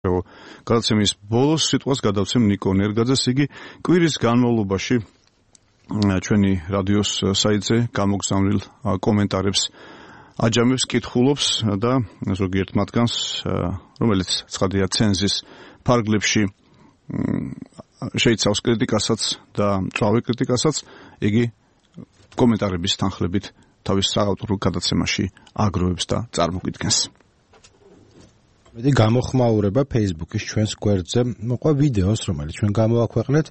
გადაცემის ბოლოს სიტყვას გადავცემ ნიკო ნერგაძეს, იგი კვირის განმავლობაში ჩვენი რადიოს საიტზე გამოგზავნილ კომენტარებს აჯამებს, კითხულობს და ზოგიერთ მათგანს, რომელიც ცხადია ცენზის ფარგლებში შეიცავს კრიტიკასაც და მწვავე კრიტიკასაც, იგი კომენტარების თანხლებით თავის საავტორო გადაცემაში აგროვებს და წარმოგიდგენს. მედი გამოხმაურება Facebook-ის ჩვენს გვერდზე მოყვა ვიდეოს, რომელიც ჩვენ გამოვაქვეყნეთ.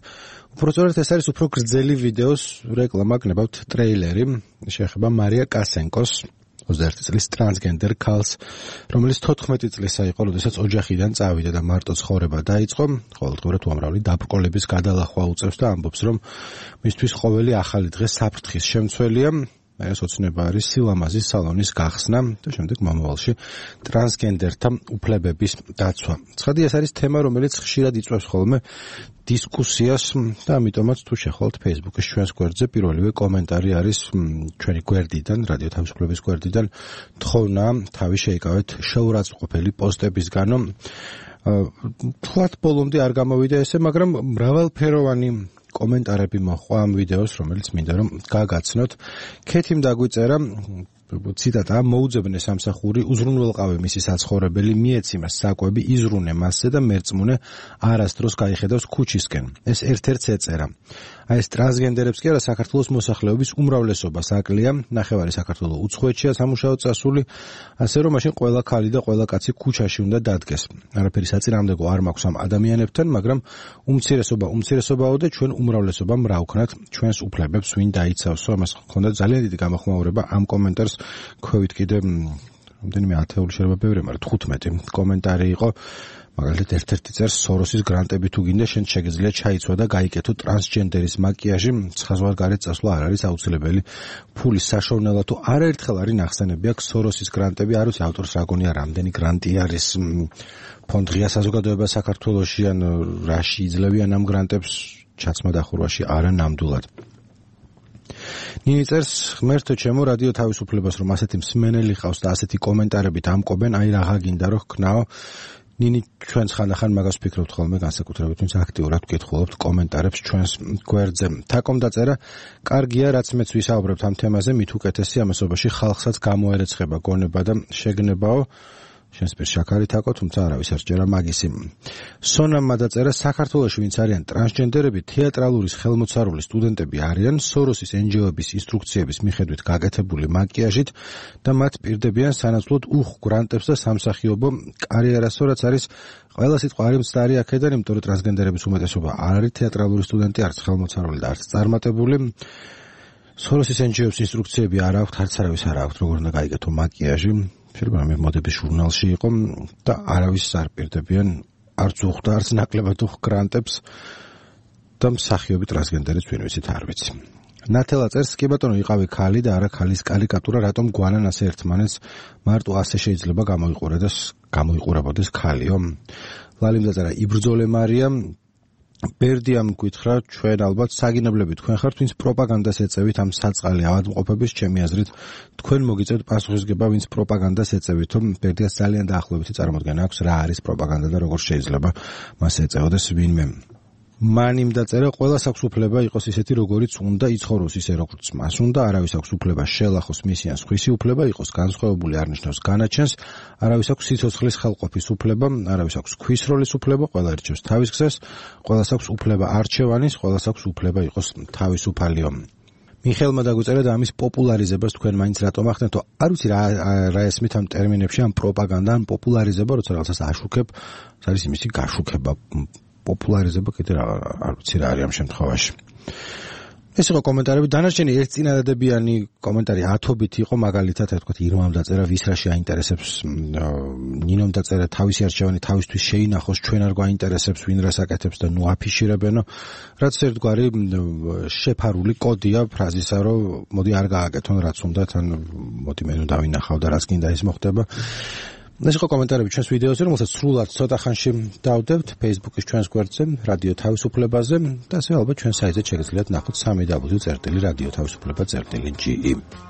უпростоრად ეს არის უფრო გრძელი ვიდეოს რეკლამა, გნებავთ ტრეილერი, შეეხება მარია კასენკოს 21 წლის ტრანსგენდერ ქალს, რომელიც 14 წლისა იყო, როდესაც ოჯახიდან წავიდა და მარტო ცხოვრება დაიწყო. ყოველდღურად უამრავი დაბრკოლების გადალახვა უწევს და ამბობს, რომ მისთვის ყოველი ახალი დღე საფრთხის შემცველია. ეს ოცნება არის სილამაზის სალონის გახსნა და შემდეგ მომავალში ტრანსგენდერთა უფლებების დაცვა. ცხადია, ეს არის თემა, რომელიც ხშირად იწვევს ხოლმე დისკუსიას და ამიტომაც თუ შეხვალთ Facebook-ის ჩვენს გვერდზე, პირველივე კომენტარი არის ჩვენი გვერდიდან, რადიო თავისუფლების გვერდიდან, თხოვნა თავი შეიკავეთ შეურაცხყოფელი პოსტებისგანო. თქვათ ბოლომდე არ გამოვიდა ესე, მაგრამ მრავალფეროვანი კომენტარები მოჰყვა ამ ვიდეოს, რომელიც მინდა რომ გაგაცნოთ. ქეთიმ დაგვიწერა ციტატა: მოუძებნე სამსახური, უზრუნველყავე მისი საცხოვრებელი, მიეციმა საკვები, იზრუნე მასზე და მერწმუნე არასდროს გაიხედავს ქუჩისკენ. ეს ერთ-ერთს ეწერა. აი ეს ტრანსგენდერებს კი არა, საქართველოს მოსახლეობის უმრავლესობას აკლია, ნახევარი საქართველოს უცხოეთშია სამუშაოდ წასული, ასე რომ მაშინ ყველა ქალი და ყველა კაცი ქუჩაში უნდა დადგეს. არაფერი საწინააღმდეგო არ მაქვს ამ ადამიანებთან, მაგრამ უმცირესობაო და ჩვენ უმრავლესობამ რა ვქნათ ჩვენს უფლებებს ვინ დაიცავსო. ამას ჰქონდა ძალიან დიდი გამოხმაურება ამ კომენტარს. ქვევით კიდე რამდენიმე ათეული შეიძლება ბევრი, მაგრამ 15 კომენტარი იყო. მაგალითად ერთ-ერთი წერს: სოროსის გრანტები თუ გინდა, შენ შეგიძლია ჩაიცვა და გაიკეთო ტრანსჯენდერის მაკიაჟი, ცხაზვალგარეთ წასვლა არ არის აუცილებელი. ფულის საშოვნელად თუ არაერთხელ არის ნახსენები აქვს სოროსის გრანტები, არ ვიცი ავტორს რა გონია, რამდენი გრანტი არის ფონდ ღია საზოგადოება საქართველოში, ან რაში იძლევიან ამ გრანტებს ჩაცმა დახურვაში არა ნამდვილად. ნინი წერს: ღმერთო ჩემო, რადიო თავისუფლებას რომ ასეთი მსმენელი ხავს და ასეთი კომენტარებით ამკობენ, აი რაღა გინდა რომ ხნაო. ნინი ჩვენს ხანდახან მაგას ვფიქრობთ ხოლმე, განსაკუთრებით ვინც აქტიურად გკითხულობთ კომენტარებს ჩვენს გვერდზე. თაკომ დაწერა: კარგია, რაც მეც ვისაუბრებთ ამ თემაზე, მით უკეთესი ამასობაში ხალხსაც გამოერეცხება გონება და შეგნებაო. შენს პირ შაქარი თაკო, თუმცა არავის არ სჯერა მაგისი. სონამ დაწერა: საქართველოში ვინც არიან ტრანსჯენდერები, თეატრალურის ხელმოცარული სტუდენტები არიან, სოროსის NGO-ების ინსტრუქციების მიხედვით გაკეთებული მაკიაჟით და მათ პირდებიან სანაცვლოდ გრანტებს და სამსახიობო კარიერასო, რაც არის ყველა სიტყვა არის მცდარი აქედან, იმიტომ რომ ტრანსგენდერების უმეტესობა არ არის თეატრალური სტუდენტი, არც ხელმოცარული და არც წარმატებული. სოროსის NGO-ების ინსტრუქციები არ აქვთ, არც არავის არ აქვთ, როგორ უნდა გაიკეთო მაკიაჟი. შეიძლება მე მოდების ჟურნალში იყო და არავის არ პირდებიან, არც უხდა, არც ნაკლებად გრანტებს და მსახიობი ტრანსგენდერიც ვინ ვიცით არ ვიცი. ნათელა წერს: კი ბატონო, იყავი ქალი და არა ქალის კარიკატურა, რატომ გვანან ასე ერთმანეთს, მარტო ასე შეიძლება გამოიყურებოდეს ქალიო. ლალიმ დაწერა: იბრძოლე მარია. ბერდიამ გითხრა: ჩვენ ალბათ საგინებლები თქვენ ხართ, ვინც პროპაგანდას ეწევით ამ საწყალი ავადმყოფების, ჩემი აზრით თქვენ მოგიწევთ პასუხისგება, ვინც პროპაგანდას ეწევით. ბერდიას ძალიან დაახლოებითი წარმოდგენა აქვს რა არის პროპაგანდა და როგორ შეიძლება მას ეწეოდეს ვინმე. მანიმ დაწერა: ყველას აქვს უფლება იყოს ისეთი, როგორიც უნდა, იცხოვროს ისე, როგორც მას უნდა, არავის აქვს უფლება შელახოს მისი ან სხვისი უფლება, იყოს განსხვავებული არ ნიშნავს განაჩენს, არავის აქვს სიცოცხლის ხელყოფის უფლება, არავის აქვს ქვისროლის უფლება, ყველა ერჩევს თავის გზას, ყველას აქვს უფლება არჩევანის, ყველას აქვს უფლება იყოს თავისუფალიო. მიხელმა დაგვიწერა და ამის პოპულარიზებას თქვენ მაინც რატომ ახდენთო? არ ვიცი რა ესმით ამ ტერმინებში, ამ პროპაგანდა, ან პოპულარიზება, როცა რაღაცას აშუქებ, არის იმისი გაშუქება. პოპულარიზება კიდე არ ვიცი რა არის ამ შემთხვევაში. ეს იყო კომენტარები. დანარჩენი ერთ წინადადებიანი კომენტარი ათობით იყო, მაგალითად, თქვათ, ირმამ დაწერა: ვის რა შეაინტერესებს, ნინომ დაწერა: თავისი არჩევანი თავისთვის შეინახოს, ჩვენ არ გვაინტერესებს, ვინ რას აკეთებს და ნუ აფიშირებენო. რაც ერთგვარი შეფარული კოდია ფრაზისა, რომ მოდი არ გააკეთონ რაც უნდათ, ან მოდი მე ნუ დავინახავ და რაც გინდა ის მოხდება. ეს იყო კომენტარები ჩვენს ვიდეოზე, რომელსაც სრულად ცოტა ხანში დავდებთ Facebook-ის ჩვენს გვერდზე, რადიო თავისუფლებაზე და ასევე ალბათ ჩვენ საიტზე შეგიძლიათ ნახოთ www.radioთავისუფლება.ge.